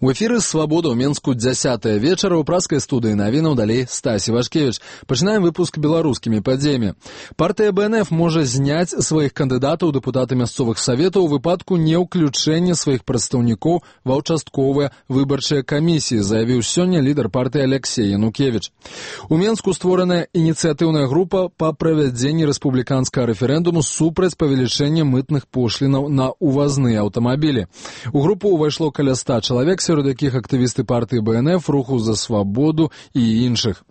У эфіры «Свабода» ў Менску 10-е вечара ў праскай студыі навінаў далей Стасі Вашкевіч. Пачынаем выпуск беларускімі падзеямі. Партыя БНФ можа зняць сваіх кандыдатаў у дэпутаты мясцовых саветаў у выпадку неўключэння сваіх прадстаўнікоў ва ўчастковыя выбарчыя камісіі, заявіў сёння лідар партыі Алексей Янукевіч. У Менску створаная ініцыятыўная група па правядзенні рэспубліканскага рэферэндуму супраць павелічэння мытных пошлінаў на ўвазныя аўтамабілі. У групу ўвайшло каля 100 чалавек, сярод якіх актывісты партыі БНФ, Руху за свабоду і іншых.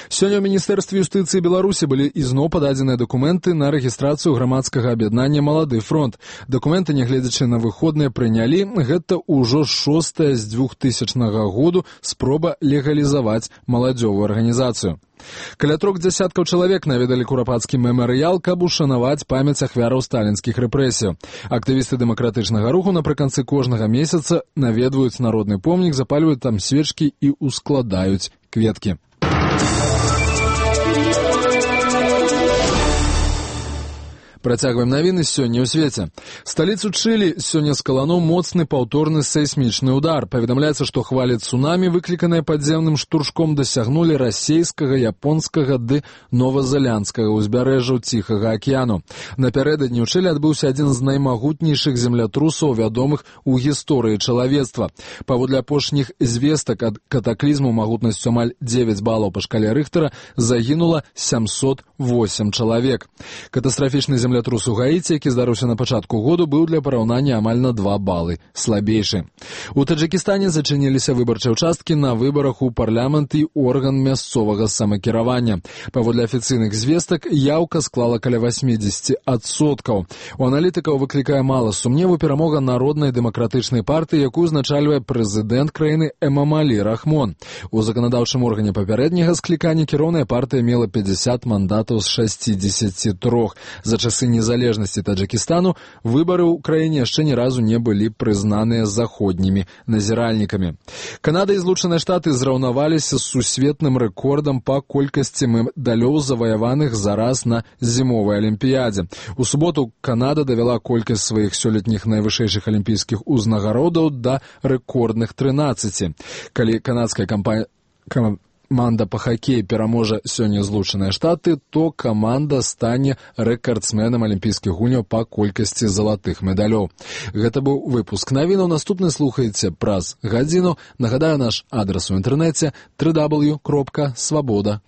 Сёння ў Міністэрстве юстыцыі Беларусі былі ізноў пададзеныя дакументы на рэгістрацыю грамадскага аб'яднання «Малады фронт». Дакументы, нягледзячы на выходныя, прынялі. Гэта ўжо 6-я з 2000 году спроба легалізаваць маладзёвую арганізацыю. Каля 3 дзясяткаў чалавек наведалі курапацкі мемарыял, каб ушанаваць памяць ахвяраў сталінскіх рэпрэсіяў. Актывісты дэмакратычнага руху напрыканцы кожнага месяца наведваюць народны помнік, запальваюць там свечкі і ускладаюць кветкі. Працягваем навіны сёння ў свеце. Сталіцу Чылі сёння скалануў моцны паўторны сейсмічны ўдар. Паведамляецца, што хвалі цунамі, выкліканыя падземным штуршком, дасягнулі расейскага, японскага ды новазеландскага ўзбярэжжаў Ціхага акіяну. Напярэдадні ў Чылі адбыўся адзін з наймагутнейшых землятрусаў, вядомых у гісторыі чалавецтва. Паводле апошніх звестак ад катаклізму магутнасцю амаль 9 балаў па шкале Рыхтара загінула 708 чалавек. Катастрафічны землятрус у Гаіці, які здарыўся на пачатку году, быў для параўнання амаль на 2 балы слабейшы. У Таджыкістане зачыніліся выбарчыя ўчасткі на выбарах у парламент і орган мясцовага самакіравання. Паводле афіцыйных звестак, яўка склала каля 80%. У аналітыкаў выклікае мала сумневу перамога Народнай дэмакратычнай партыі, якую узначальвае прэзідэнт краіны Эмамалі Рахмон. У заканадаўчым органе папярэдняга склікання кіроўная партыя мела 50 мандатаў з 63. За часы незалежнасці Таджыкістану выбары ў краіне яшчэ ні разу не былі прызнаныя заходнімі назіральнікамі. Канада і Злучаныя Штаты зраўнаваліся з сусветным рэкордам па колькасці медалёў, заваяваных зараз на зімовай алімпіядзе. У суботу Канада давяла колькасць сваіх сёлетніх найвышэйшых алімпійскіх узнагародаў да рэкордных 13. Калі канадская каманда па хакеі пераможа сёння Злучаныя Штаты, то каманда стане рэкардсменам алімпійскіх гульняў па колькасці залатых медалёў. Гэта быў выпуск навінаў. Наступны слухаеце праз гадзіну. Нагадаю, наш адрас у інтэрнэце www.svoboda.org.